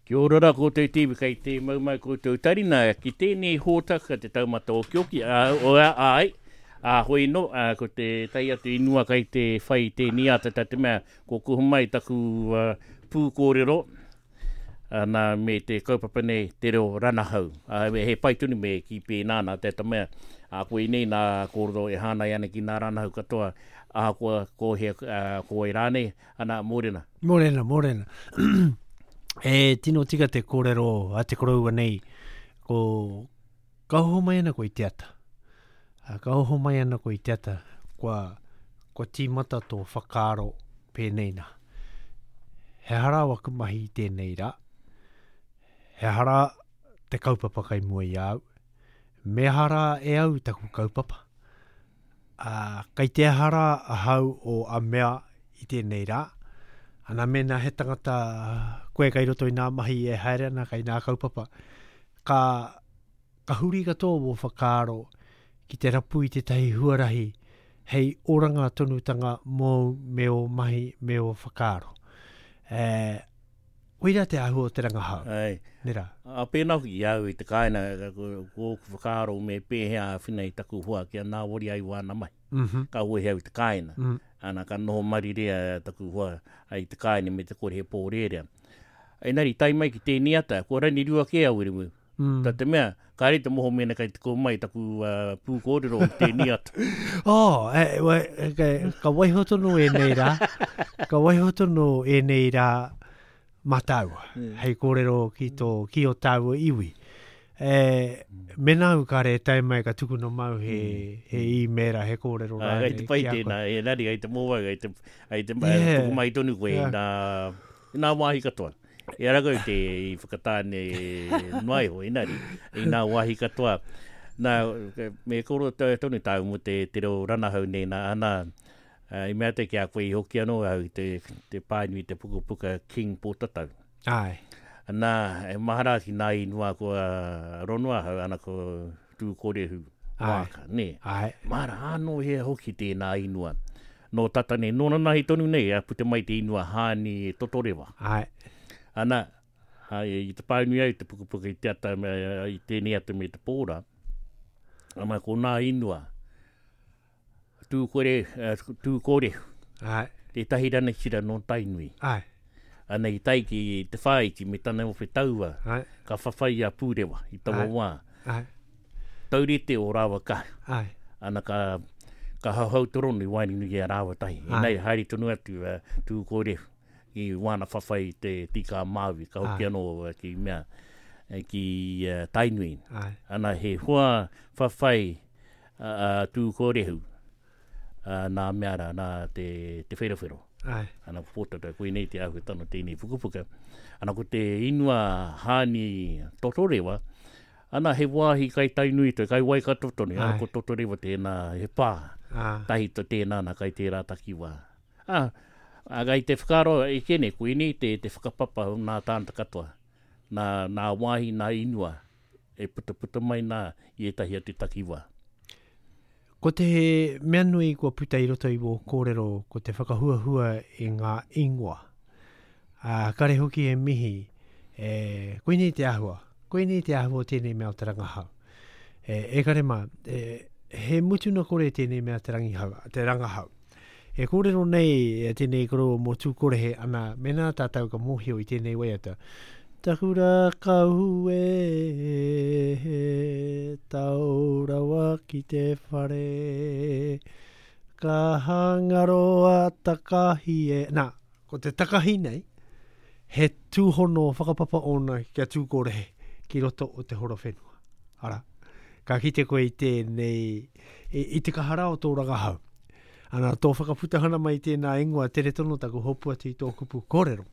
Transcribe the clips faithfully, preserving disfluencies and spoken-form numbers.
Kia ora rā koutou te iwi kei te mau mai koutou tarina ki tēnei hōtaka te taumata okioki, ā, o, āe, ā, hoi no, ā, ko te tai atu inua kai te whai tēnei ata tā te mea, ko kuhu mai taku uh, pūkōrero, nā, me te kaupapa nei, te reo ranahau. Ā, he pai tonu me ki pēnā nā te mea, ā, koinei nā kōrero e hānai ana ki nā ranahau katoa, ahakoa ko hea, uh, ko wai rānei, ana, mōrena. Mōrena, mōrena. E tino tika te kōrero a te koroua nei, ko ka oho mai ana koe i te ata. A, ka oho mai ana koe i te ata, kua, kua tīmata tō whakaaro pēnei nā. He aha rā waku mahi i tēnei rā, he aha rā te kaupapa kai mua i a au, me aha rā e au taku kaupapa. A, kai te aha rā ahau o a mea i tēnei rā, ana mēnā he tangata koe kai roto i nā mahi e haere ana kai nā kaupapa, ka, ka huri katoa wō whakaaro ki te rapu i tētahi huarahi hei oranga tonutanga mōu me ō mahi me ō whakaaro. E, koira te āhua o te rangahau. Ai. Nera. A pēnā hoki i au i te kāinga, ko, ko ōku whakaaro me pēhea āwhina i taku hoa kia nāwari ai wāna mahi. Mm -hmm. Ka wehe au i te kāinga. Mm. Ana, ka noho marirea taku hoa i te kāinga me te kore he pōrērea. Engari, tae mai ki tēnei ata, kua rangirua kē au Wiremu. Mm. Tā te mea, kāre te moho mēnā kai te kō mai taku uh, pūkōrero i tēnei ata. Oh, e, e, e, ka waiho tonu ēnei rā, ka waiho tonu ēnei rā mā tāua, Mm. hei kōrero ki tō, ki o tāua iwi. E, mēnā au kāre e tae mai ka tukuna mau he, he e-mail, he kōrero Ai, rānei kai te pai ki a koe. tēnā, engari, ai te mōwai, ai te, ai te, Yeah. tuku mai tonu koe Yeah. i nā, i nā wāhi katoa. E ara koe te i whakatāne noa iho, engari, i nā wāhi katoa. Nā, me koro tonu tāu mō te, te reo ranahau nei nā, ana, uh, i mea te ki a koe i hoki anō au i te, te pānui te pukapuka King Pōtatau. Ai. Nā, e mahara ki nā inua kua ronoa hau, ana ko Tūkorehu Ai. Wāka, nē. Ai. Mahara anō hea hoki tēnā inua. Nō tata nei, nōna nahi tonu nei, a puta mai te inua Hāni Totorewa. Ai. Ana, ai, i te pānui au te pukapuka i te ata, me, i tēnei ata me te pōra, ana ko nā inua, Tūkore, uh, Tūkorehu, Ai. tētahi ranatira nō Tainui. Ai. Ana i tai ki te whāiti me tana ope taua, Ai. ka whawhai a Pūrewa i taua Ai. wā. Ai. Taurite o rāua kaha. Ai. Ana ka, ka hauhau torono i waenganui i a rāua tahi. Ai. Nei, haere tonu atu uh, Tūkorehu i wāna whawhai te tika Māui, ka hoki Ai. anō uh, ki mea, eh, ki uh, Tainui. Ai. Ana he hoa whawhai uh, uh, Tūkorehu uh, nā mea rā, nā te, te wherowhero. Ai. Ana ko Pōtatau, koinei te āhuatanga tēnei pukapuka. Ana ko te inua Hāni Totorewa, ana he wāhi kai Tainui toi, kai Waikato tonu, ana Ai. ko Totorewa tēnā, he pā, Ah. tahi to tēnā ana kai tērā takiwā. Ah, a kai te whakaaro e kene, koinei te, te whakapapa o nā tāngata katoa, nā, nā wāhi, nā inua, e puta puta mai nā i ētahi atu takiwā. Ko te mea nui kua puta i roto i wō kōrero, ko te whakahuahua i ngā ingoa. Ā, kare hoki e mihi, e, koinei te āhua, koinei te āhua o tēnei mea o te rangahau. E, e kare mā, e, he mutuna kore tēnei mea te rangihau, te rangahau. E kōrero nei e tēnei koroua mō Tūkorehe, ana, mēnā tātou ka mōhio i tēnei waiata. Taku rākau e, he tau rawa ki te whare, ka hangaroa takahi e. Nā, ko te takahi nei, he tūhono whakapapa ōna kia Tūkorehe ki roto o te horo whenua. Ara, ka kite koe i tēnei, i, i te kahara o tō rangahau. Ana, tō whakaputahana mai tēnā ingoa, tere tonu taku hopu atu i tō kupu kōrero.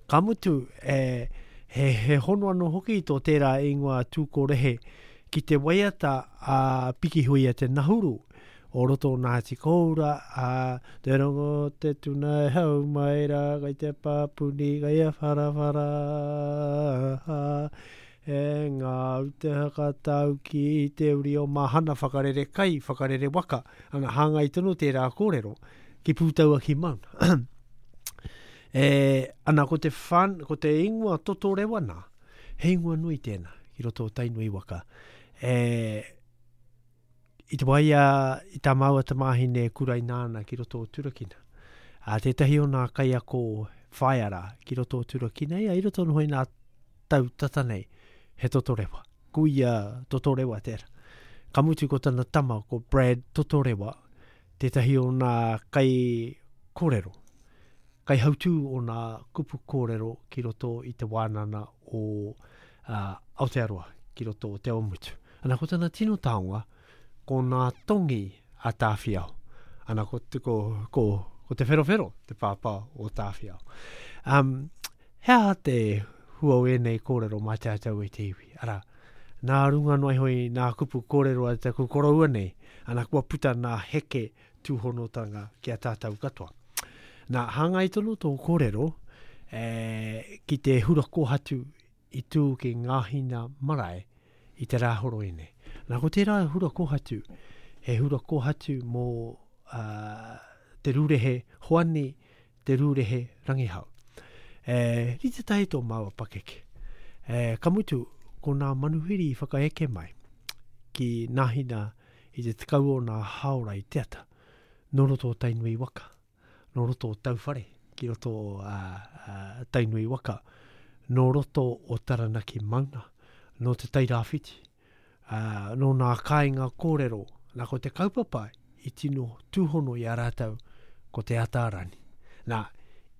Ka mutu, e, he, he hono anō hoki i tō tērā ingoa Tūkorehe ki te waiata a Pikihuia te Nahuru o roto o Ngāti Koura, a te rongo te tuna e hau mai rā, kai te pāpuni, kai a wharawhara, e ngā te hakatau ki te uri o Mahana whakarere kai, whakarere waka, ana hāngai tonu tērā kōrero ki Pūtaua ki Mauna. E, ana ko te whan, ko te ingoa Totorewa nā, he ingoa nui tēnā, ki roto o Tainui waka. E, i te waia, i tā māua tamāhine e kuraina ana ki roto o Turakina. A tētahi o nā kaiako whaiara ki roto o Turakina, ia i roto noho i nā tau tata nei, he Totorewa. Kuia Totorewa tērā. Ka mutu ko tana tama, ko Brad Totorewa, tētahi o nā kai kōrero, kai hautū o nā kupu kōrero ki roto i te wānana o uh, Aotearoa, ki roto o Te Awamutu. Ana ko tana tino taonga, ko nā tongi a Tāwhiao. Ana ko, ko, ko, ko te wherowhero, te pāpā o Tāwhiao. Um, he aha te hua o ēnei kōrero mā tātou e te iwi? Ara, nā runga noa iho i nā kupu kōrero a taku koroua nei, ana kua puta nā heke tūhonotanga ki a tātou katoa. Nā, hāngai tonu tō kōrero e, ki te hura kōhatu i tū ki Ngāhina Marae i te rāhoroi nei. Nā, ko tērā hura kōhatu, he hura kōhatu mō uh, te rūrehe Hoani, te rūrehe Rangihau. E, rite tahi tō māua pakeke. E, ka mutu, ko nā manuhiri i whakaeke mai ki Nāhina i te tekau o nā haora i te ata, nō roto o Tainui waka, nō roto o Tauwhare, ki roto o uh, uh, Tainui waka, nō roto o Taranaki Mauna, nō te Tairāwhiti, uh, nō nā kāinga kōrero, nā ko te kaupapa i tino tūhono i a rātou ko te Atārani. Nā,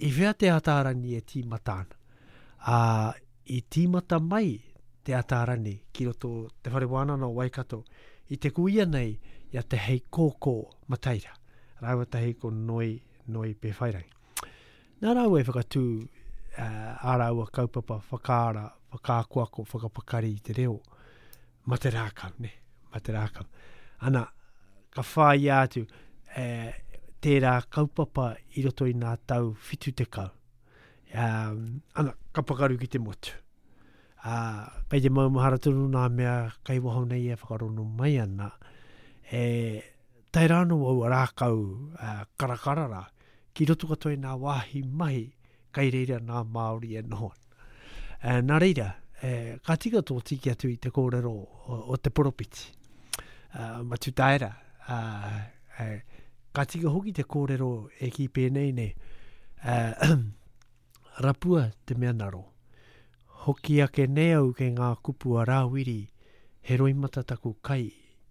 i whea te Atārani e tīmata ana? Ā, i tīmata mai te Atārani ki roto te whare wānanga o Waikato i te kuia nei i a Te Heikōkō Mataira, rāua tahi ko Noi, Noi Pēwhairangi. Nā rāua e whakatū uh, ā rāua kaupapa whakaara, whakaakoako, whakapakari i te reo, ma te rākau, ne? Ma te rākau. Ana, ka whāia atu e, tērā kaupapa i roto i nā tau whitu tekau. Um, ana, ka pakaru ki te motu. Uh, kei te maumahara tonu nā mea kai waho nei e whakarono mai ana. E, tae rānō aua rākau uh, karakara rā, ki roto katoa i nā wāhi mahi kai reira nā Māori e noho ana. E, nā reira, e, ka tika tō tiki atu i te kōrero o, o te poropiti. Uh, Matutaera, uh, e, ka tika hoki te kōrero e ki pēnei nei, uh, rapua te mea naro. Hoki ake nei au kei ngā kupu a Rāwiri, he roimata taku kai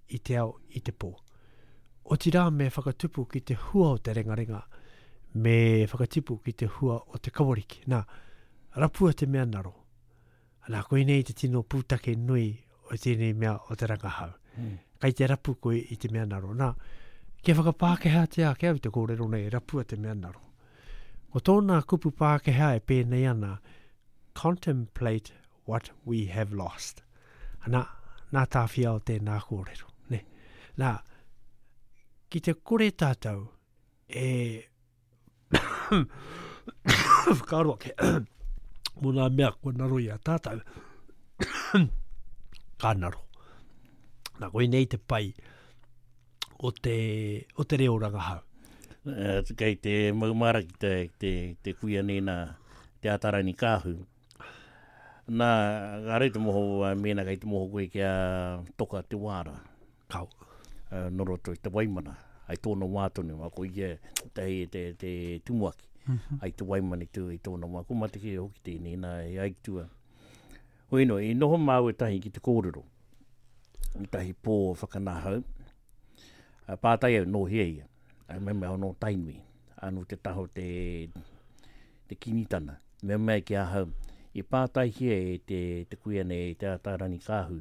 i te ao i te pō. Otirā me whakatupu ki te hua o te rengarenga, me whakatipu ki te hua o te kawariki. Nā, rapua te mea naro. Nā, koinei te tino pūtake nui o tēnei mea o te rangahau. Mm. Kai te rapu koe i te mea naro. Nā, kia whakapākehātia ake au te kōrero nei, rapua te mea naro. Ko tōna kupu Pākehā e pēnei ana, contemplate what we have lost. Nā, nā Tāwhiao tēnā kōrero. Ne? Nā, ki te kore tātou e whakaaro ake mō nā mea kua naro i a tātou, ka naro. Nā, koinei te pai o te, o te reo rangahau. Uh, kei te maumara ki te, te, te kuia nei nā te Atārani Kāhu. Nā, ka rei te moho, mēnā kei te moho koe kia toka te wāra. Kau. Uh, nō roto i te Waimana, ai tōna wā tonu, a ko ia te, te, te tumuaki, mm-hmm. ai te Waimana i, tū, i tōna wā. Ko mateke hoki tēnei nā e aitua. Hoi no, i noho māua tahi ki te kōrero, i tahi pō whakanahau, pātai au nō hea ia, ai mea mea nō Tainui, anō te taho te, te kinitana. Mea mea ki ahau, i pātai hia e te, te kuia nei, te Atārani Kāhu,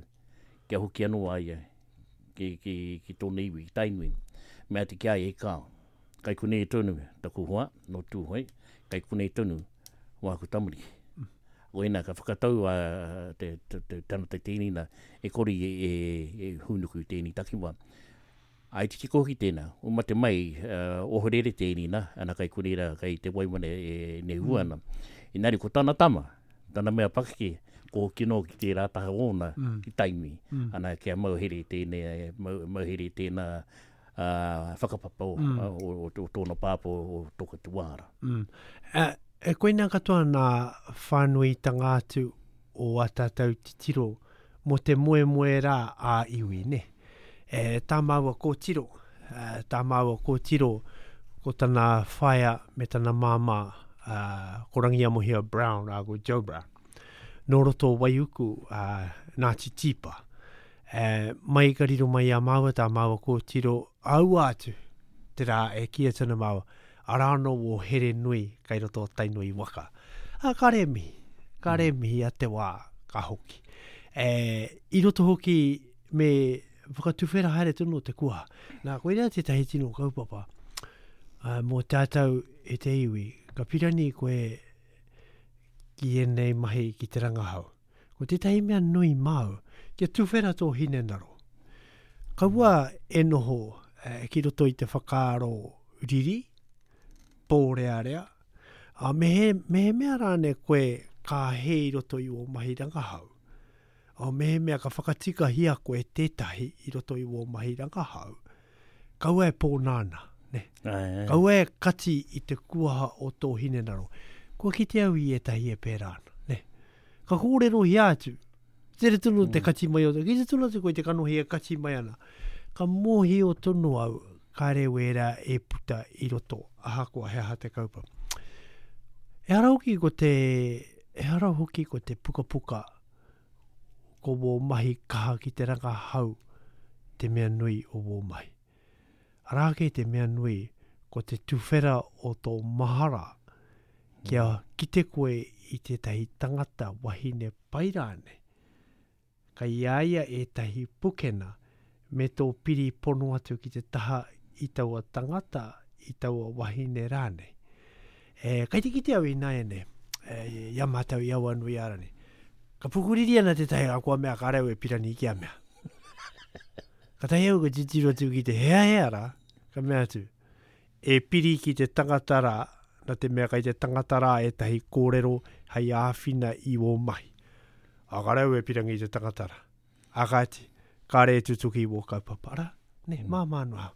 kia hoki anō a ia, ki, ki, ki tōna iwi, ki Tainui. Mea te kia e kao. Kai konei tonu, taku hoa, nō Tūhoe, kai konei tonu, wāku tamariki. Oina ka whakatau a te, te, te tangata tēnei e kore e, e, e hūnuku tēnei takiwā. Ai te tiko hoki tēnā, o mate mai, uh, ohorere tēnei nā, ana kai konei rā, kai te Waimana e nehu ana. Inari ko tana tama, tana mea pakeke, ko hoki nō ki tērā taha ōna, mm. ki Tainui. Mm. Ana kia mauhere tēnei, mau, mauhere tēnā uh, whakapapa o, mm. o, o, o tōna pāpā o, o Toka Te Wāra. Mm. Uh, E koina katoa nā whānuitanga atu o a tātou titiro mō te moemoe rā a iwi, ne? E, tā māua kōtiro, e, tā māua kōtiro ko tana whaea me tana māmā, uh, ko Rangiamohia Brown, rā ko Joe Brown. Nō roto Waiuku, uh, Ngāti Tīpa. E, mai ka riro mai a māua, tā māua kōtiro, aua atu, te rā e kia tana māua, arā no o here nui kai roto o Tainui waka. A, ka re mihi, ka re mihi a te wā ka hoki. E, i roto hoki me whakatuwhera haere tonu te kuaha. Nā, koira tētahi tino kaupapa uh, mō tātou e te iwi. Ka pirani koe ki ēnei mahi ki te rangahau. Ko tētahi mea nui māu, kia tuwhera tō hinengaro. Kaua e noho eh, ki roto i te whakaaro riri, pōrearea, a me he, me he mea rāne koe ka he i roto i o mahi rangahau. A me he mea ka whakatikahia koe tētahi i roto i o mahi rangahau, kaua e pōnāna, ne? Ai, ai. Kaua e kati i te kuaha o tō hinengaro. Kua kite au i ētahi e pērā ana, ne? Ka kōrerohia atu, tere tonu te kati mai o te, ki te tonu atu koe te kanohi e kati mai ana. Ka mōhio tonu au, kāre wērā e puta i roto, ahakoa he aha te kaupapa. Ehara hoki ko te, ehara hoki ko te pukapuka, ko wō mahi kaha ki te rangahau te mea nui o wō mahi. Arā kei te mea nui, ko te tuwhera o tō mahara, kia kite koe i tētahi tangata wahine pai rānei. Kai a ia ētahi pukena me tō piri pono atu ki te taha i taua tangata, i taua wahine rānei. E, kai te kite au i nāiane, e, i a mātou i Awanuiārani. Ka pukuriri ana tētahi a kua mea ka rau e pirani ki a mea. Ka tahi au ka titiro atu ki te hea hea rā, ka mea atu, e piri ki te tangata rā, na te mea kai te tangata rā ētahi kōrero hei āwhina i ō mahi. A ka rau e pirangi i te tangata rā. A kāti, kāre e tutuki i wō kaupapa rā. Ne, mm. māmā noa.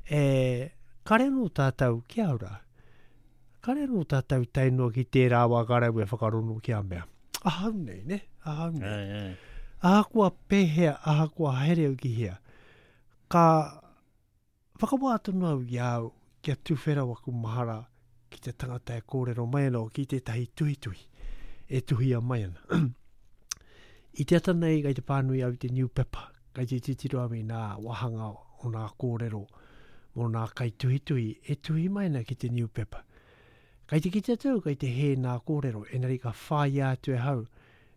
E, kāre anō tātou ki au rā. Kāre anō tātou tae noa ki tērā wā ka rau e whakarono ki a mea. Ahau nei, ne? Ahau nei. Ai, ai. Ahakoa pēhea, ahakoa haere au ki hea. Ka whakawā tonu au i au kia tuwhera waku mahara ki te tangata e kōrero mai ana o ki tētahi tuhituhi e tuhia mai ana. I te ata nei kai te pānui au i te newspaper, kai te titiro au i nā wāhanga o nā kōrero mō nā kai tuhituhi e tuhi mai ana ki te newspaper. Kai te kite atu au kai te hē nā kōrero, enari ka whāia atu e hau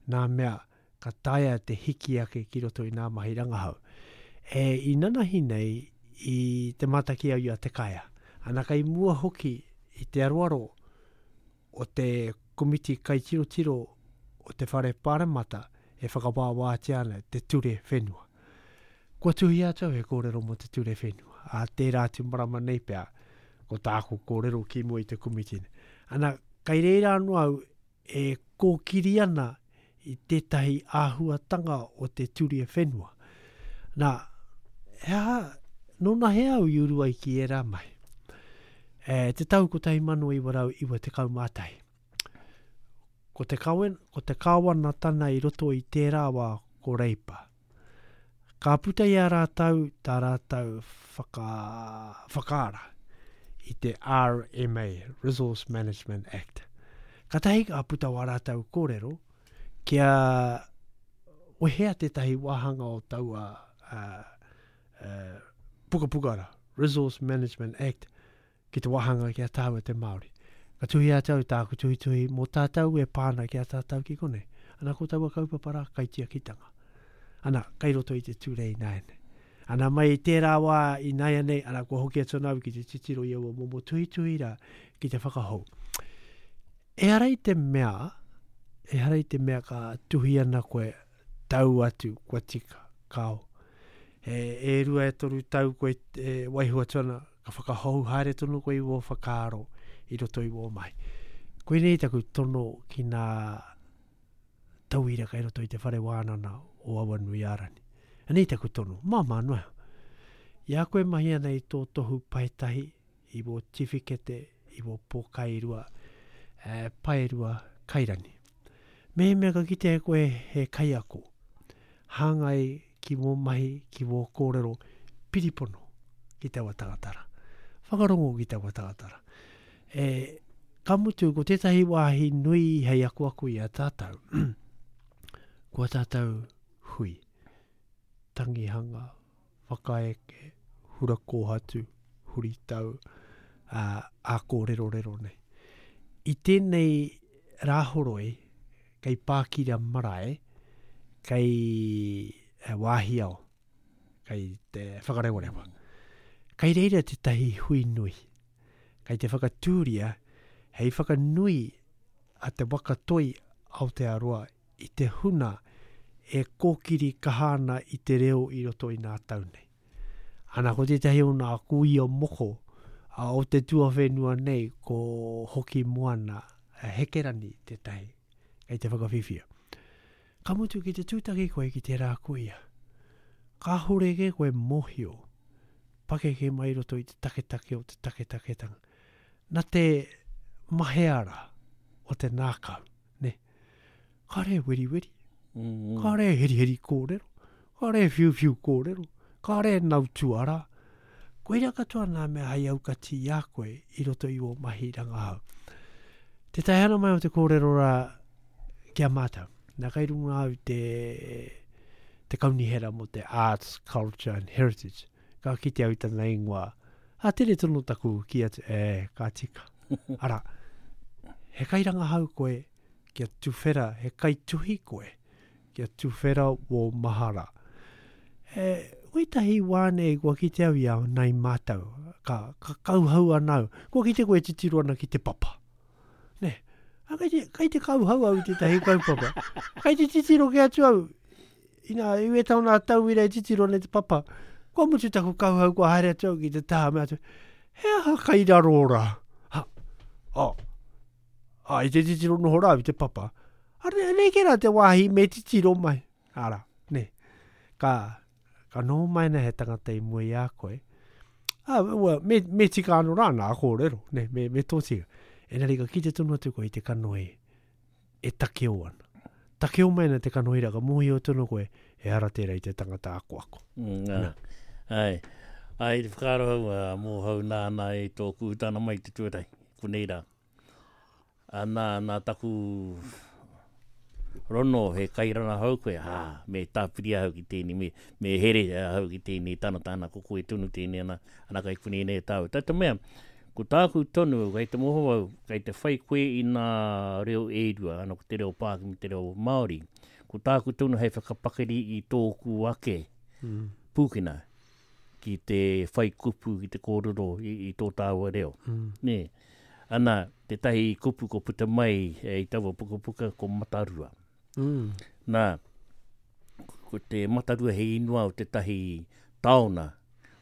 nā mea ka taea te hiki ake ki roto i nā mahi rangahau. E, i nanahi nei i te mātaki au i a Te Kaea. Ana kai mua hoki i te aroaro o te komiti kaitirotiro o te whare pāremata e whakawāwātia ana te ture whenua. Kua tuhi atu au he kōrero mō te ture whenua. A tērā atu marama nei pea, ko tāku kōrero ki mua i te komiti. Ana, kai reira anō au e kōkiri ana i tētahi āhuatanga o te ture whenua. Nā, he aha, nōna he au i uru ai ki ērā mahi. E, te tau kotahi mano iwa rau iwa tekau mā tahi. Ko te kawen, ko te kāwanatana i roto i tērā wā ko Reipa. Ka puta i a rātou tā rātou whaka, whakaara i te R M A, Resource Management Act. Ka tahi ka puta wā rātou kōrero kia wehea tētahi wāhanga o taua uh, uh, pukapukara, Resource Management Act, ki te wāhanga ki a tāua te Māori. Ka tuhi a tau tāku tuhituhi mō tātou e pāna ki a tātou ki konei. Ana ko taua kaupapa rā kaitiakitanga. Ana, kai roto i te ture i nāianei. Ana mai i tērā wā i nāianei, ana kua hoki atu ana au ki te titiro i aua momo tuhituhi rā ki te whakahou. Ehara i te mea, ehara i te mea ka tuhi ana koe tau atu kua tika, kao. E, e rua e toru tau koe e waiho atu ana, ka whakahou haere tonu koe i wō whakaaro i roto i wō mahi. Koinei taku tono ki nā tauira kai roto i te whare wānana o Awanuiārani. Anei taku tono, māmā noa. I a koe mahi ana i tō tohu paetahi, i wō tiwhikete, i wō pōkairua, e, paerua kairani. Me mea ka kite e koe he kaiako, hāngai ki wō mahi, ki wō kōrero, piripono ki taua tangatara. Whakarongo ki taua tangatara. E, ka mutu, ko tētahi wāhi nui hei akuaku i a tātou. Kua tātou hui, tangihanga, whakaeke, hura kōhatu, huritau, a, a kōrerorero nei. I tēnei rāhoroi, kei Pākira marae, kei e, Wāhiao, kei te Whakarewarewa. Kei reira tētahi hui nui. Kei te whakatūria hei whakanui a te waka toi Aotearoa i te huna e kōkiri kaha ana i te reo i roto i nā tau nei. Ana ko tētahi o nā kuia moko a o te tuawhenua nei ko Hoki Moana Hekerani tētahi kei te whakawhiwhia. Ka mutu ki te tūtaki koe ki tērā kuia. Kāhore ke koe mōhio pakeke mai roto i te taketake o te taketaketanga. Nā te maheara o te nākau, ne? Kāre weriweri, Mm, mm. kāre heriheri kōrero, kāre whiuwhiu kōrero, kāre nautuara. Koira katoa nā mea hei aukati i a koe i roto i o mahi rangahau. Te tae ana mai o te kōrero rā ki a mātou. Nā kai runga au te, te kaunihera mō te Arts, Culture and Heritage. Ka kite au i tana ingoa. A tere tonu taku ki atu, e, ka tika. Ara, he kairangahau koe kia tuwhera, he kaituhi koe kia tuwhera wō mahara. E, wētahi wā nei kua kite au i a nai mātau, ka, ka kauhau ana au. Kua kite koe titiro ana ki te papa. Ne, a kai te, kai te kauhau au i tētahi kaupapa. Kai te titiro ke atu au, ina, i wētau nā tauira e titiro nei te papa. Kua mutu taku kauhau, kua haere atu au ki te taha me atu, he aha kai raro rā? Ha, oh, a, i te titiro noho rā i te papa. Are, nei ke rā te wāhi me titiro mai. Ara, ne. Ka, ka noho mai na he tangata i mua i a koe. Ah, well, me, me tika anō rā nā kōrero, ne, me, me tō tika. Engari ka kite tonu atu koe i te kanohi e takeo ana. Takeo mai ana te kanohi rā, ka mōhio tonu koe, e ara tērā i te tangata akoako. Mm, ā. Ai, ai, te whakaaro hau, ā, mōhau nā nā e tōku tāna mai te tuatahi, konei rā. A nā, nā taku rono he kairana hau koe, hā, me tāpiri ahau ki tēnei, me, me here ahau ki tēnei tana tāna, ko koe tonu tēnei ana, ana kai konei nei tāu. Tā te mea, ko tāku tonu, kei te moho au, kei te whai koe i nā reo e rua, ana ko te reo Pākehā me te reo Māori. Ko tāku tonu hei whakapakari i tōku ake Mm. pūkena ki te whai kupu, ki te kōrero i, i tō tāua reo. Mm. Nē. Ana, tētahi kupu ko puta mai e, i taua pukapuka ko Matarua. Mm. Nā, ko te Matarua he ingoa o tētahi taona,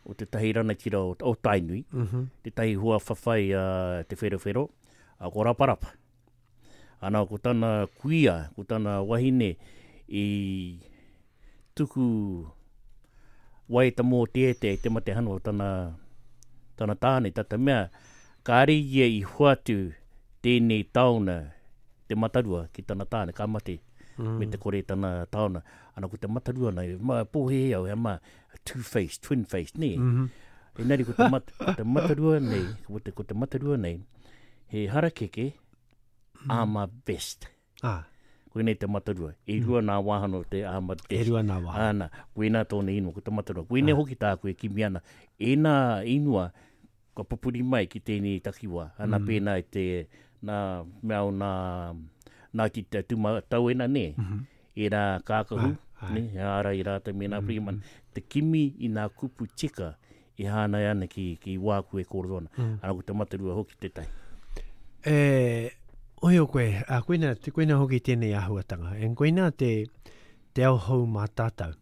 o tētahi ranatira o, o Tainui, Mm -hmm. tētahi hua whawhai a Te Wherowhero, a ko Raparapa. Ana, ko tana kuia, ko tana wahine i tuku waita mō te ete i te matehano o tana, tana tāne, tata mea, kāre ia i hoatu tēnei taona te Matarua ki tana tāne, ka mate Mm. me te kore tana taona. Ana ko te Matarua nei, ma pōhehe au, he ma two-face, twin-face, nē. Mm -hmm. Engari ko te, mat, ko te Matarua nei, ko te, ko te Matarua nei, he harakeke mm. armor vest. Ah, Koinei te Matarua. E rua nā wāhanga o te armor e vest. rua nā wāhanga. Ana, koina tōna ingoa, ko te Matarua. Koinei hoki tāku e kimi ana. Ēnā ingoa ka pupuri mai ki tēnei takiwā. Ana Mm. pēnā i te, nā mea o nā, nā ki te tuma tauena nē. Mm -hmm. E rā kākahu, Ai, ai. ne, he ārai rātou me nā Mm, Freeman, te kimi i nā kupu tika i hānai ana ki, ki wāku e kōrero ana. Mm. Ana ko te Matarua hoki tētahi. E, oio koe, a, koina, te, koina hoki tēnei āhuatanga. En koina te, te ao hou mā tātou.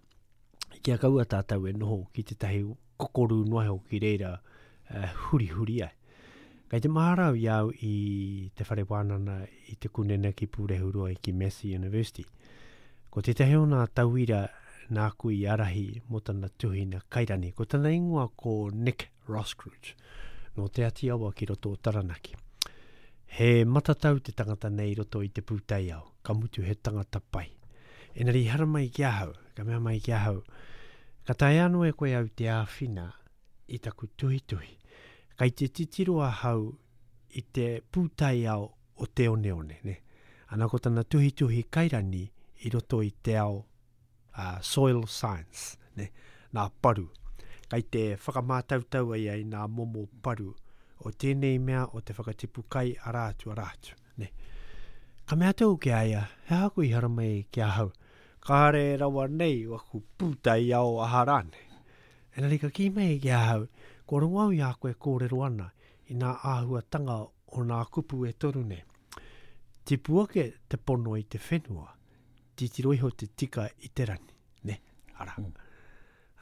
Kia kaua tātou e noho ki tētahi kokoru noa iho ki reira uh, hurihuri ai. Kei te mahara au i au i te whare wānana i te Kunena ki Pūrehuroa ki Massey University. Ko tētahi o nā tauira nāku i arahi mō tana tuhina kairani. Ko tana ingoa ko Nick Roskruge, nō Te Ati Awa ki roto o Taranaki. He matatau te tangata nei i roto i te pūtaiao, ka mutu he tangata pai. Engari i haramai ki ahau, ka mea mai ki ahau, ka taea anō e koe au te āwhina i taku tuhituhi. Kai te titiro ahau i te pūtaiao o te oneone, ne? Ana ko tana tuhituhi kairani i roto i te ao uh, soil science, ne? Nā paru. Kai te whakamātautau ai ai nā momo paru o tēnei mea o te whakatipu kai arā atu, arā atu, ne? Ka mea atu au ki a ia, he aha koe i haramai ki ahau? Kāre rawa nei waku pūtaiao aha rānei. Engari ka kī mai ki ahau, kua rongo au i a koe kōrero ana i nā āhuatanga o nā kupu e toru nei. Tipu ake te pono i te whenua, titiro iho te tika i te rani, ne? Ara. Mm.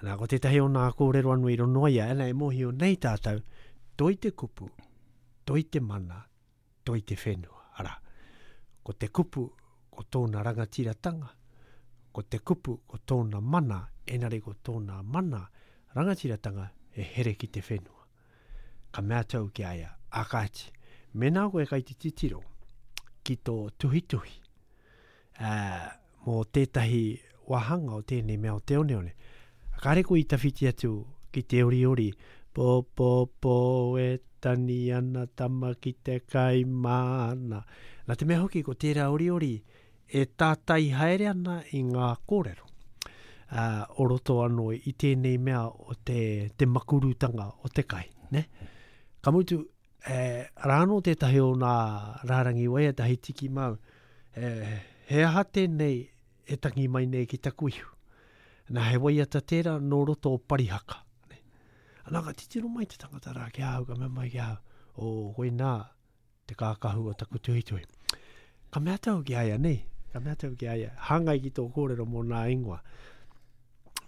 Ana, ko tētahi o nā kōrero anō i ronoa ia, ana e mōhio nei tātou, toi te kupu, toi te mana, toi te whenua. Ara. Ko te kupu, ko tōna rangatiratanga, ko te kupu, ko tōna mana, enari ko tōna mana, rangatiratanga e here ki te whenua. Ka mea atu au ki a ia, a kāti, mēnā koe kai te titiro ki tō tuhituhi, uh, mō tētahi wāhanga o tēnei mea o te oneone. Kāre koe i tawhiti atu ki te oriori, po po po e tani ana tama ki te kai māna. Nā te mea hoki ko tērā oriori e tātai haere ana i ngā kōrero. Uh, o roto anō i tēnei mea o te, te makurutanga o te kai, ne? Ka mutu, eh, rā anō tētahi o nā rārangi waiata hei tiki mau, eh, he aha tēnei e tangi mai nei ki taku ihu. Nā he waiata tērā nō roto o Parihaka. Ne? Ana ka titiro mai te tangata rā ki ahau, ka mea mai ki ahau, o koinā te kākahu o taku tuhituhi. Ka mea atu au ki a ia, nei? Ka mea atu au ki a ia, hāngai ki tō kōrero mō nā ingoa.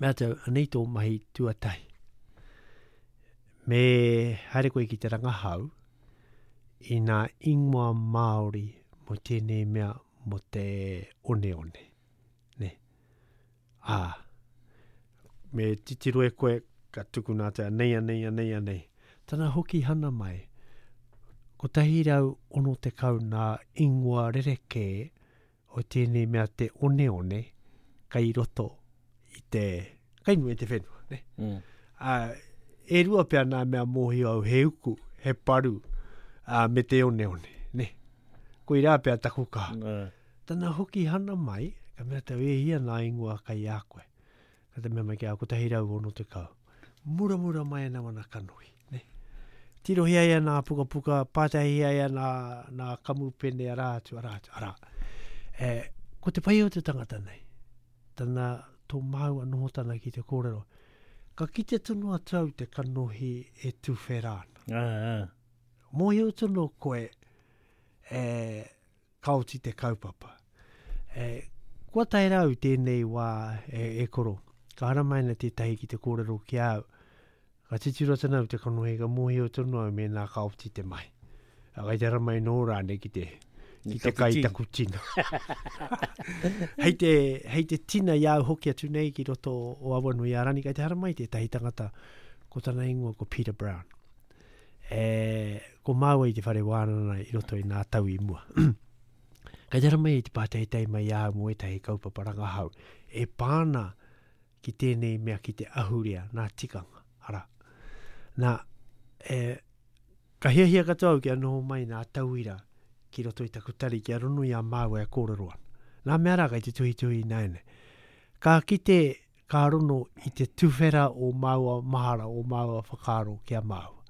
Mea atu au, anei tō mahi tuatahi. Me haere koe ki te rangahau i nā ingoa Māori mō tēnei mea mō te oneone. Ne? Ā, me titiro e koe ka tukuna atu, anei, anei, anei, anei. Tana hoki hana mai, kotahi rau ono tekau nā ingoa rerekē o tēnei mea te oneone kai roto i te, kai nui te whenua, ne? Mm. Ā, e rua pea nā mea mōhio au, he uku, he paru, ā, me te oneone, ne? Koirā pea taku kaha. Mm. Tana hoki hana mai, ka mea tau e hia nā ingoa kai a koe. Ka te mea mai ki a kotahi rau ono tekau. Muramura mai ana wana kanohi, ne? Tirohia ia nā pukapuka, pātahia ia nā, nā kamupene, arā atu, arā atu, arā. E, ko te pai o te tangata nei, tana tō māua noho tana ki te kōrero, ka kite tonu atu au te kanohi e tuwhera ana. Ah, ah. Mōhio tonu koe e, ka oti te kaupapa. E, kua tae rau tēnei wā e, e koro, ka haramai ana tētahi ki te kōrero ki au, ka titiro tana au te kanohi, ka mōhio tonu au mēnā ka oti te mahi. A kai te haramai nō rānei ki te, ki te kai taku tina. Hei te, hei te tina i au hoki atu nei ki roto o Awanuiārani, kai te haramai tētahi tangata, ko tana ingoa ko Peter Brown. E, ko māua i te whare wānanga i roto i nā tau i mua. Kai te haramai i te pātaitai mai au mō ētahi kaupapa rangahau, e pāna ki tēnei mea ki te ahurea, nā tikanga, ara. Nā, e, ka hiahia katoa au kia noho mai nā tauira ki roto i taku tari, kia rono i a māua e kōrero ana. Nā mea rā kai te tuhituhi nāianei. Ka kite, ka rono i te tuwhera o māua mahara, o māua whakaaro ki a māua.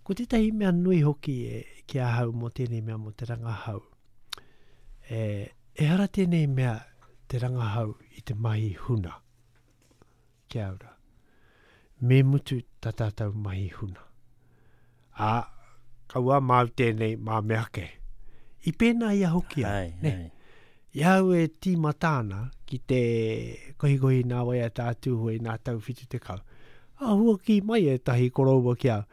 Ko tētahi mea nui hoki e, ki ahau mō tēnei mea mō te rangahau. E, ehara tēnei mea te rangahau i te mahi huna. Kia ora. Me mutu tā tātou mahi huna. Ā, kaua māu tēnei mā mea ake. I pēnā ia hoki au, Ai, ne? ai. I au e tīmata ana ki te kohikohi nā waiata a Tūhoe nā tau whitu tekau. A hua ki mai e tahi koroua ki au.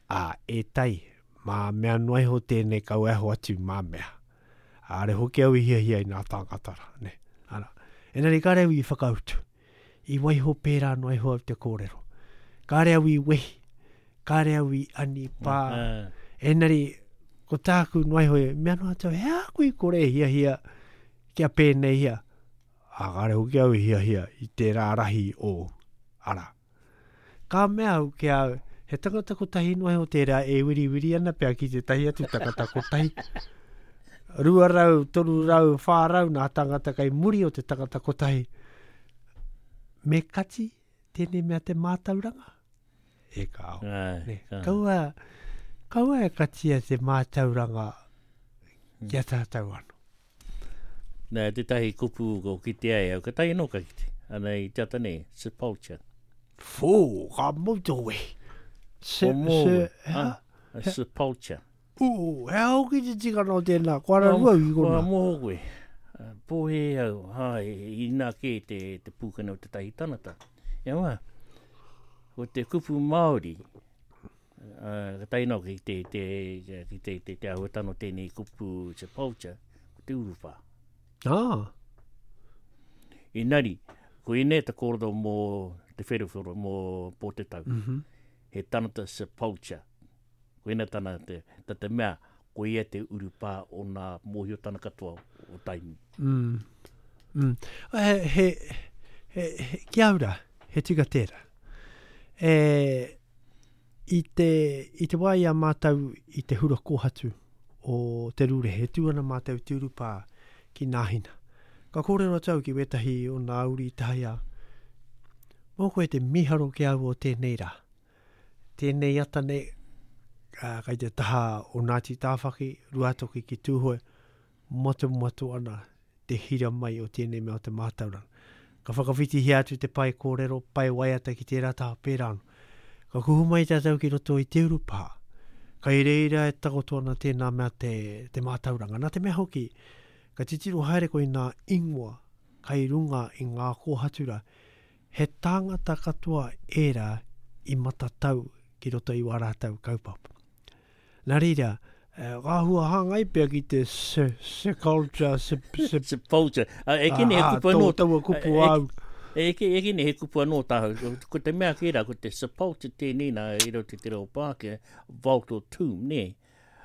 Ā, e tai, mā mea noa iho tēnei kau e ho atu mā mea. Āre hoki au i hiahia i nā tāngata rā, ne? Ara. Engari kāre au i whakautu. I waiho pērā noa iho au te kōrero. Kāre au i wehi, kāre au i anipā. Ah. Engari, Ko tāku noa iho e, mea noa atu, he a kui kore e hiahia kia pēnei hia. A kare hoki au i hiahia i tērā rahi o ara. Ka mea au ki au, he tangata kotahi noa iho tērā e wiriwiri ana pea ki te tahi atu tangata kotahi. Rua rau, toru rau, whā rau nā tangata kai muri o te tangata kotahi. Me kati tēnei mea te mātauranga? E kāo. Ai, Ne, kā. Kaua, kaua e katia te mātauranga kia tātou anō. Nā, tētahi kupu ko kite ai au, ka tahi anō ka kite. Ana i te ata nei, sepulture. Fō, ka mau te we. Se, O mō, se, ah, a sepulture. Ū, he hoki te tikanga o tēnā, ko ara rua i Kua kona. moho koe. Ah, Pōhe au, hai, inā kē te, te pūkana o te tahi tanata. Ia wā, ko te kupu Māori, uh, ka tahi nō ki te, te, ki te, te, te āhuatanga o tēnei kupu sepulture, ko te urupā. Ah, Inari, ko ine te kōrero mō te wherowhero, mō Pōtetau. mm -hmm. He tangata sepulture. Ko ina tana te, ta te mea, ko ia te urupā o nā mōhiotana katoa o Tainui. Mm. Mm. He, he, he, he, ki au rā, he tika tērā. E, i te, i te wā i a mātou i te hura kōhatu o Te Rūrehe, e tū ana mātou te urupā ki Nāhina. Ka kōrero atu au ki wētahi o nā uri i tahi a, mō koe te miharo ki au o tēnei rā. Tēnei ata nei, uh, kai te taha o Ngāti Tāwhaki, Ruatoki ki Tūhoe, motumotu ana te hira mai o tēnei mea o te mātauranga. Ka whakawhitihia atu te pae kōrero, pae waiata ki tērā taha pērā anō. Ka kuhu mai tātou ki roto i te urupā. Kai reira e takoto ana tēnā mea te, te mātauranga. Nā te mea hoki, ka titiro haere koe i nā ingoa kai runga i ngā kōhatura, he tāngata katoa ērā i matatau ki roto i wā rātou kaupapa. Nā reira, eh, ngā hua hāngai pea ki te se, se culture, se, se, Sepulture. Ah, e kene he ah, kupu anō. tō taua kupu e- au. E ke e kene he kupu anō tāhau. Ko te mea kērā, ko te sepulture tēnei nā i roto i te reo Pākehā, vault or tomb, nē.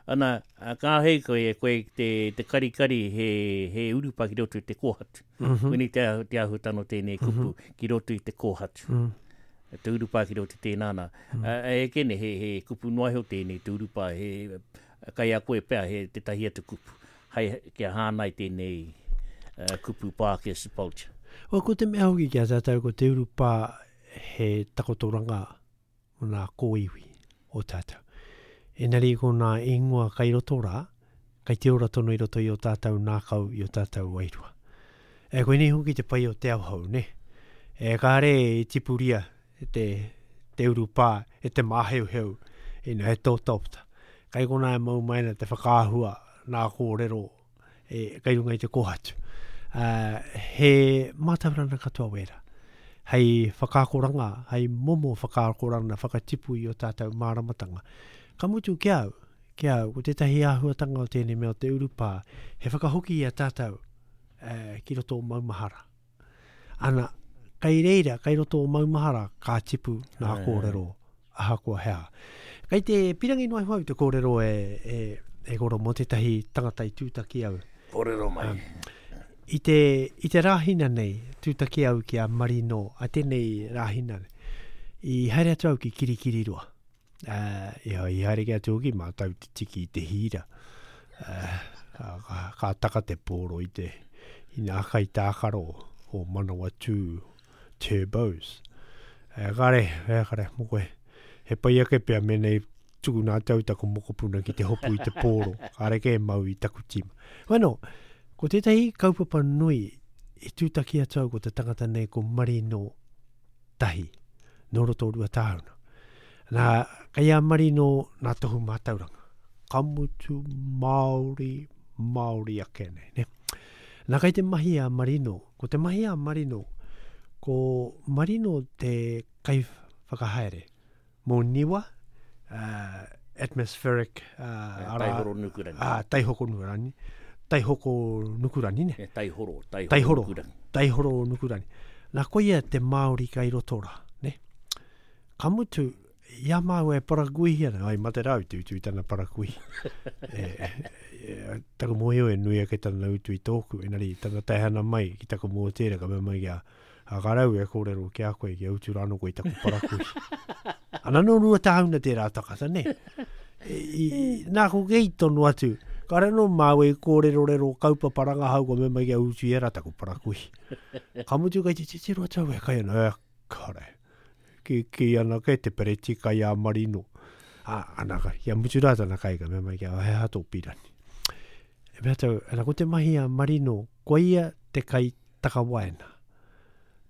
Ana, a, ka hei koe, koe te, te karikari he, he urupa ki roto i te kōhatu. Mm Mhm. -hmm. Koinei te, ahu- te āhuatanga o tēnei kupu mm -hmm. ki roto i te kōhatu. Mm. Te urupa ki roto i tēnā nā. Mm. A, e kene he, he kupu noa iho tēnei, te urupa, he, kai a koe pea, he te tahi atu kupu. Hai, kia hānai tēnei uh, kupu Pākehā sepulture. O, ko te mea hoki ki a tātou, ko te urupā he takotoranga o nā kōiwi o tātou. Engari ko nā ingoa kai roto rā, kai te ora tonu i roto i o tātou nākau, i o tātou wairua. E koinei hoki te pai o te ao hou, ne? E kāre i tipuria te, te urupā, e te māheuheu, ina he tōtaopta. Kai kona e mau mai ana te whakaahua nā kōrero e, kai runga i te kōhatu. Uh, he mātauranga katoa wērā. Hei whakaakoranga, hei momo whakaakoranga, whakatipu i o tātou māramatanga. Ka mutu ki au, ki au, ko tētahi āhuatanga o tēnei mea o te urupā, he whakahoki i a tātou eh, ki roto o Maumahara. Ana, kai reira, kai roto o Maumahara, ka tipu nā kōrero, ahakoa hea. Kai te pirangi noa iho au te kōrero e, e, e koro mō tētahi tangata i tūtaki au. Kōrero mai. I te, i te rāhina nei, tūtaki au ki a Marino, a tēnei rāhina nei, i haere atu au ki Kirikiriroa. Uh, i, i haere ki atu hoki mātou te tiki i te hīra. Uh, ka, ka, ka taka te pōro i te i nā kai tākaro o Manawatū Turbos. Uh, kare, e, kare, mo koe. He pai ake pea mēnei tuku nā tau taku mokopuna ki te hopu i te pōro. Kare ke mau i taku tima. Bueno, ko tētahi kaupapa nui i tūtaki atu au ko te tangata nei ko Marino Tahi, nō roto o Ruatāhuna. Nā, kei a Marino nā tohu mātauranga. Ka mutu Māori, Māori ake nei. Ne? Nā kei te mahi a Marino, ko te mahi a Marino, ko Marino te kai whakahaere mō Niwa, uh, atmospheric, uh, ara, Taihoro nukurangi. ah, taihoko nukurani, taihoko nukurani ne. E, taihoro, taihoro, Taihoro. nukurangi. Taihoro nukurani. Nā koia te Māori kai roto rā, ne? Ka mutu, Ia māua e parakuihi ana, ai mate rau te utu i tana parakuihi. e, e, taku mōhio e nui ake tana utu i tōku, enari tana taehana mai ki taku mōtēra ka mea mai kia a ka rau e kōrero ki a koe, kia utu rāno koe i taku parakuihi. Ana no rua tāuna tērā takata, ne? E, i, nā ko kei tonu atu, ka re no māua i kōrero rero kaupapa rangahau ko mea mai kia utu i era taku parakuihi. Ka mutu kai te titiro atu e kai ana, e kare. Ki, ki ana ke te pereti kai a Marino. A, ana ka, kia mutu rā tana kai ka mea mai kia he aha tō pirani. E mea tau, ana ko te mahi a Marino, ko ia te kai takawaena.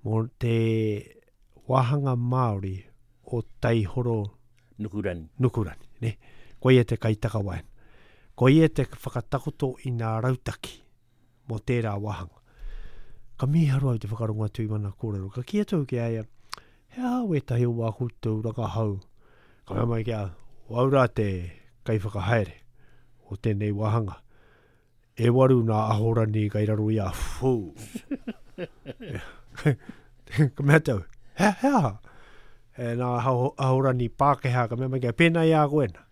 Mō te wāhanga Māori o Taihoro Nukurani. Nukurani, ne? Ko ia te kai takawaena. Ko ia te whakatakoto i ngā rautaki mō tērā wāhanga. Ka mīharo au te whakarongo atu i mana kōrero. Ka kī atu ki a ia, he aha wētahi o wā koutou rangahau. Ka mea mai kia, o au rā te kaiwhakahaere o tēnei wāhanga. E waru nā ahorani kai raro i a fū. Ka mea tau, he, he aha? E nā ahorani Pākehā, ka mea mai kia, pēnā i a koe na.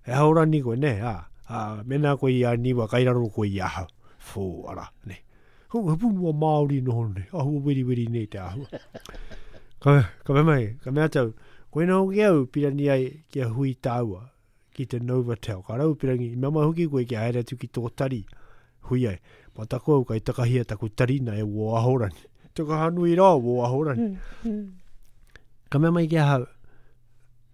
He ahorani koe, ne, a, a, mēnā koe i a niwa, kai raro koe i ahau. Fū, ara, ne. He pūnua Māori noho nei, ahua weriweri nei te ahua. Ka, ka mea mai, ka mea tau, koe nā hoki au pirani ai kia hui tāua ki te Novotel. Ka rau pirangi, i mea mai hoki koe kia haere atu ki tō tari, hui ai. Ma taku au kai takahia taku tarina e wō ahorani. Te kahanui rā wō ahorani. Ka mea mai ki ahau,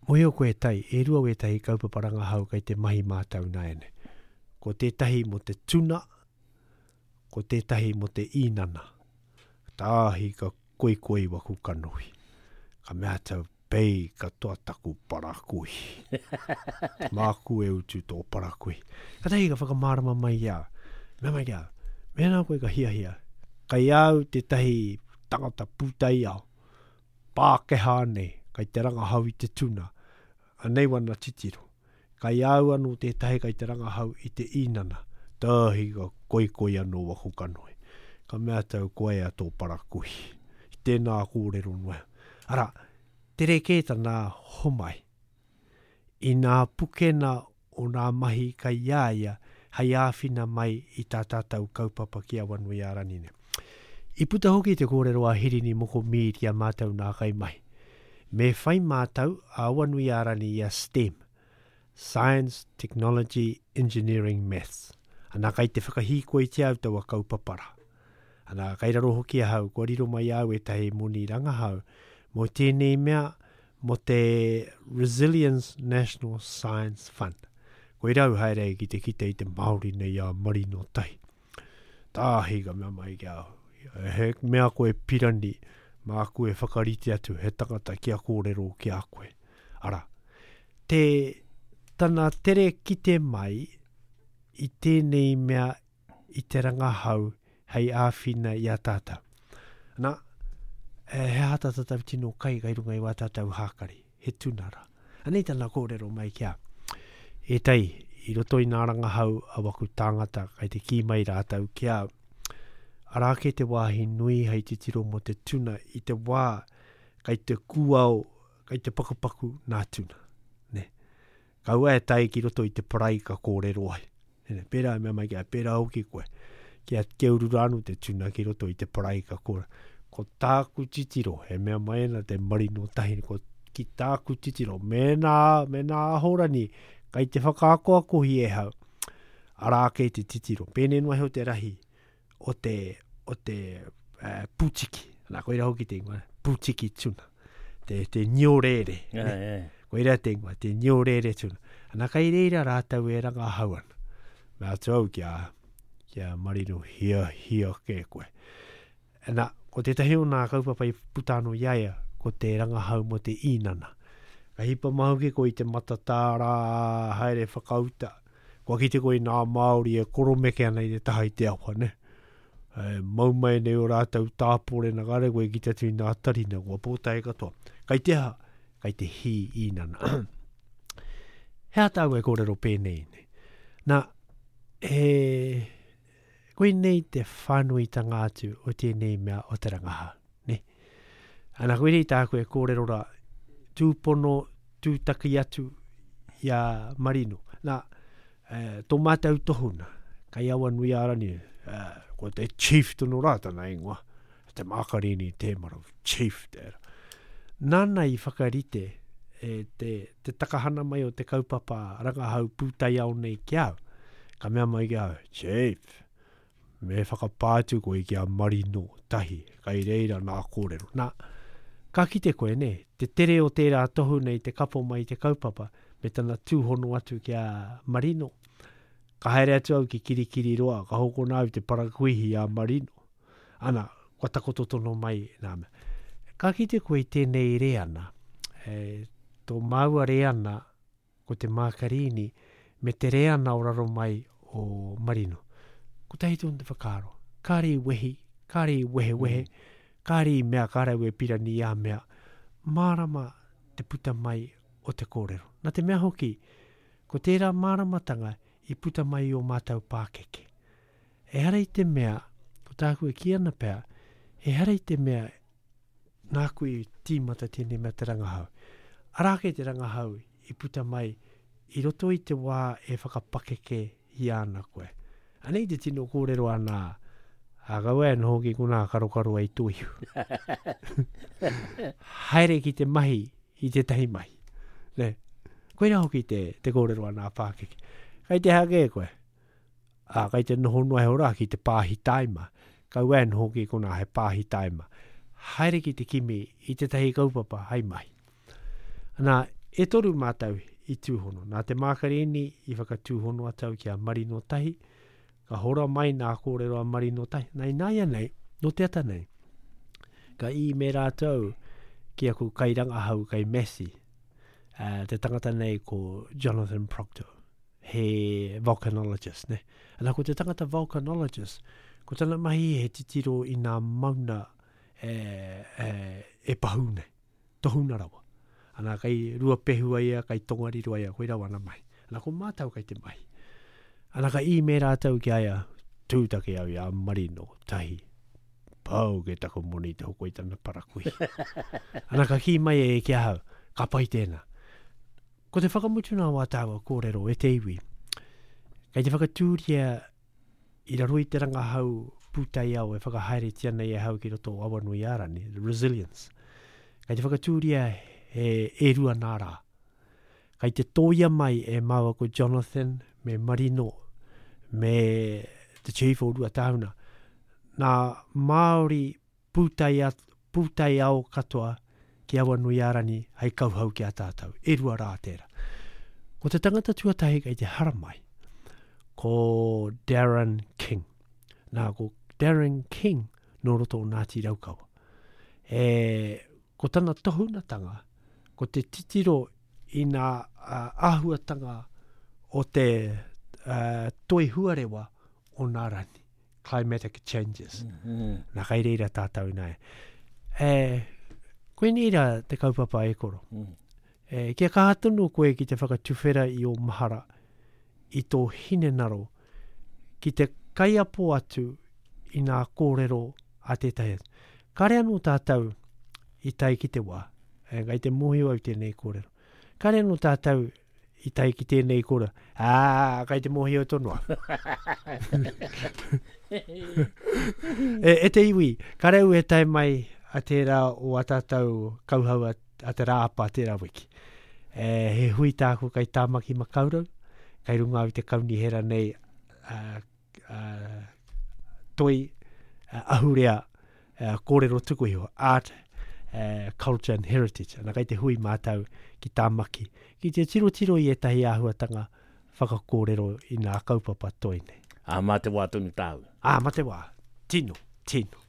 mohio koe tai, e rua wētahi kaupapa rangahau kai te mahi mātau nāiane. Ko tētahi mo te tuna, ko tētahi mo te īnana. Tāhi ka koikoi waku kanohi. Ka mea tau, pei katoa taku parakuihi. Māku e utu tō parakuihi. Ka tahi ka whakamārama mai ia. Mea mai kia, mēnā koe ka hiahia. Kai au tētahi tangata pūtaiao, Pākehā nei, kai te rangahau i te tuna. Anei wana titiro. Kai au anō tētahi kai te rangahau i te īnana. Tāhi ka koikoi anō waku kanohi. Ka mea tau koe a tō parakuihi. I tēnā kōrero noa. Ara, tere kē tana homai. I nā pukena o nā mahi kai a ia, hei āwhina mai i tā tātou kaupapa ki Awanuiārani nei. I puta hoki te kōrero a Hirini Moko Mīri a mātou nā kai mahi. Me whai mātou a Awanuiārani i a STEM, Science, Technology, Engineering, Maths. Ana kai te whakahīkoi te au taua kaupapara. Ana kai raro hoki ahau, kua riro mai au ētahi moni rangahau, mō tēnei mea, mō te Resilience National Science Fund. Koe rau haere ki te kite i te Māori nei a Marino Tahi. Tāhi ka mea mai ki au. He mea koe pirani, māku e whakarite atu, he tangata kia kōrero ki a koe. Ara, te tana tere kite mai i tēnei mea i te rangahau hei āwhina i a tātou. Nā, he aha tā tātou tino kai kai runga i wā tātou hākari, he tunara. Anei tana kōrero mai kia. E tai, i roto i nā rangahau a waku tāngata kai te kī mai rātou kia arā ke te wāhi nui hei titiro mō te tuna i te wā kai te kūao, kai te pakupaku nā tuna. Ne? Kaua e tai ki roto i te parai ka kōrero ai. Ne, pērā e mea mai kia, pērā hoki koe. Kia kia uru rānu te tuna ki roto i te parai ka kōrero. Ko tāku titiro, e mea mai ana te Marino Tahi, ko ki tāku titiro, mēnā, mēnā ahorani, kai te whakaakoakohi e hau, arā ke te titiro. Pēnei noa heo te rahi o te, o te uh, pūtiki. Nā, koira hoki te ingoa, pūtiki tuna. Te, te niorere. Yeah, ne? yeah. Koira te ingoa, te niorere tuna. Ana kai reira rātou e rangahau ana. Mea atu au kia, kia Marino hia, hia ke koe. Ana, ko tētahi o nā kaupapa i puta anō i a ia, ko te rangahau mō te īnana. Ka hipa mahuki koe i te matatā rā haere whakauta. Kua kite koe i nā Māori e koromeke ana i te taha i te awa, ne? E, mau mai nei o rātou tāpore na kare koe ki te atu i nā tarina, kua pōtae katoa. Kai te aha, kai te hī īnana. He aha tāu e kōrero pēnei nei. Nā, e, koe nei te whānuitanga atu o tēnei mea o te rangahau, ne? Ana koe nei tāku e kōrero rā, tūpono, tūtaki atu i a Marino. Nā, e, tō mātou tohuna, kai Awanuiārani, e, ko te chief tono rā tana ingoa, te Mākarini te maro, chief tērā. Nāna i whakarite e, te, te takahana mai o te kaupapa rangahau pūtaiao nei ki au. Ka mea mai ki au, chief, me whakapā atu koe ki a Marino tahi, kai reira nā kōrero. Nā, ka kite koe, ne, te tere o tērā tohu nei te kapo mai te kaupapa, me tana tūhono atu ki a Marino. Ka haere atu au ki Kirikiriroa, ka hokona au te parakuihi a Marino. Ana, kua takoto tono mai nā mea. Ka kite koe i tēnei reana, e, tō māua reana ko te Mākarini, me te reana o raro mai o Marino. Ko tahi tōna te whakaaro. Kāre i wehi, kāre i wehewehe, mm. kāre i mea, kāre e pirani a mea. Mārama te puta mai o te kōrero. Nā te mea hoki, ko tērā māramatanga i puta mai o mātou pākeke. Ehara i te mea, ko tāku e kī ana pea, ehara i te mea nāku i tīmata tēnei mea te rangahau. Arā ke te rangahau i puta mai i roto i te wā e whakapakeke i ana koe. Anei te tino kōrero ana, a kaua e noho ki konā karokaro ai tō ihu. Haere ki te mahi i tētahi mahi. Ne? Koira hoki te, te kōrero ana a pākeke. Kai te hake koe. A, kai te noho noa he ora ki te pāhi taima. Kaua e noho ki konā he pāhi taima. Haere ki te kimi i tētahi kaupapa hai mahi. Nā, e toru mātou i tūhono. Nā te Mākarini i whakatūhono atau ki a Marino Tahi, ka hora mai nā kōrero a Marino Tahi. Nā ināia nei, no te ata nei, ka i me rātou ki aku kairangahau kai Massey, uh, te tangata nei ko Jonathan Proctor, he volcanologist, ne? Ana ko te tangata volcanologist, ko tana mahi he titiro i nā mauna e, e, e pahu nei, tohuna rawa. Ana kai Ruapehu ai ia, kai Tongariro ai ia, koe rawa ana mahi. Ana ko mātau kai te mahi. Ana ka i me rātou ki aia, tūtaki au i a Marino, tahi. Pau ke taku moni te hoko i tana parakui. Ana ka kī mai e ki ahau, ka pai tēnā. Ko te whakamutuna o a tāua kōrero e te iwi, kei te whakatūria i raro i te rangahau pūtaiao e whakahaeretia nei e hau ki roto o Awanuiārani, the resilience. Kei te whakatūria he e rua nā rā. Kei te tōia mai e māua ko Jonathan me Marino me te chief o Ruatāhuna. Nā Māori pūtai, pūtaiao katoa ki Awanuiārani hei kauhau ki a tātou. E rua rā tērā. Ko te tangata tuatahi kei te haramai, ko Darren King. Nā, ko Darren King nō roto o Ngāti Raukawa. E, ko tana tohunatanga, ko te titiro i nā uh, āhuatanga o te uh, toi huarewa o nā rani, climatic changes. Mm -hmm. Nā kai reira tātou nai. E, koinei rā te kaupapa e koro. Mm. E, kia kaha tonu koe ki te whakatuwhera i o mahara, i tō hinengaro, ki te kaiapo atu i nā kōrero a tētahi atu. Kāre anō tātou i tae ki te wā, e, kai te mōhio au tēnei kōrero. Kāre anō tātou i tae ki tēnei kōrero, ā, kai te mōhio tonu au. e, e te iwi, kāre au e tae mai a tērā o a tātou kauhau a, a te rāapa tērā wiki. E, he hui tāku kai Tāmaki Makaurau, kai runga au te kaunihera nei a, a, toi a, ahurea a, kōrero tuku iho, art, uh, culture and heritage. Ana kai te hui mātau ki Tāmaki, ki te tirotiro i ētahi āhuatanga whakakōrero i nā kaupapa toi nei. Ā, mā te wā tonu tāu. Ā, mā te wā. Tino, tino.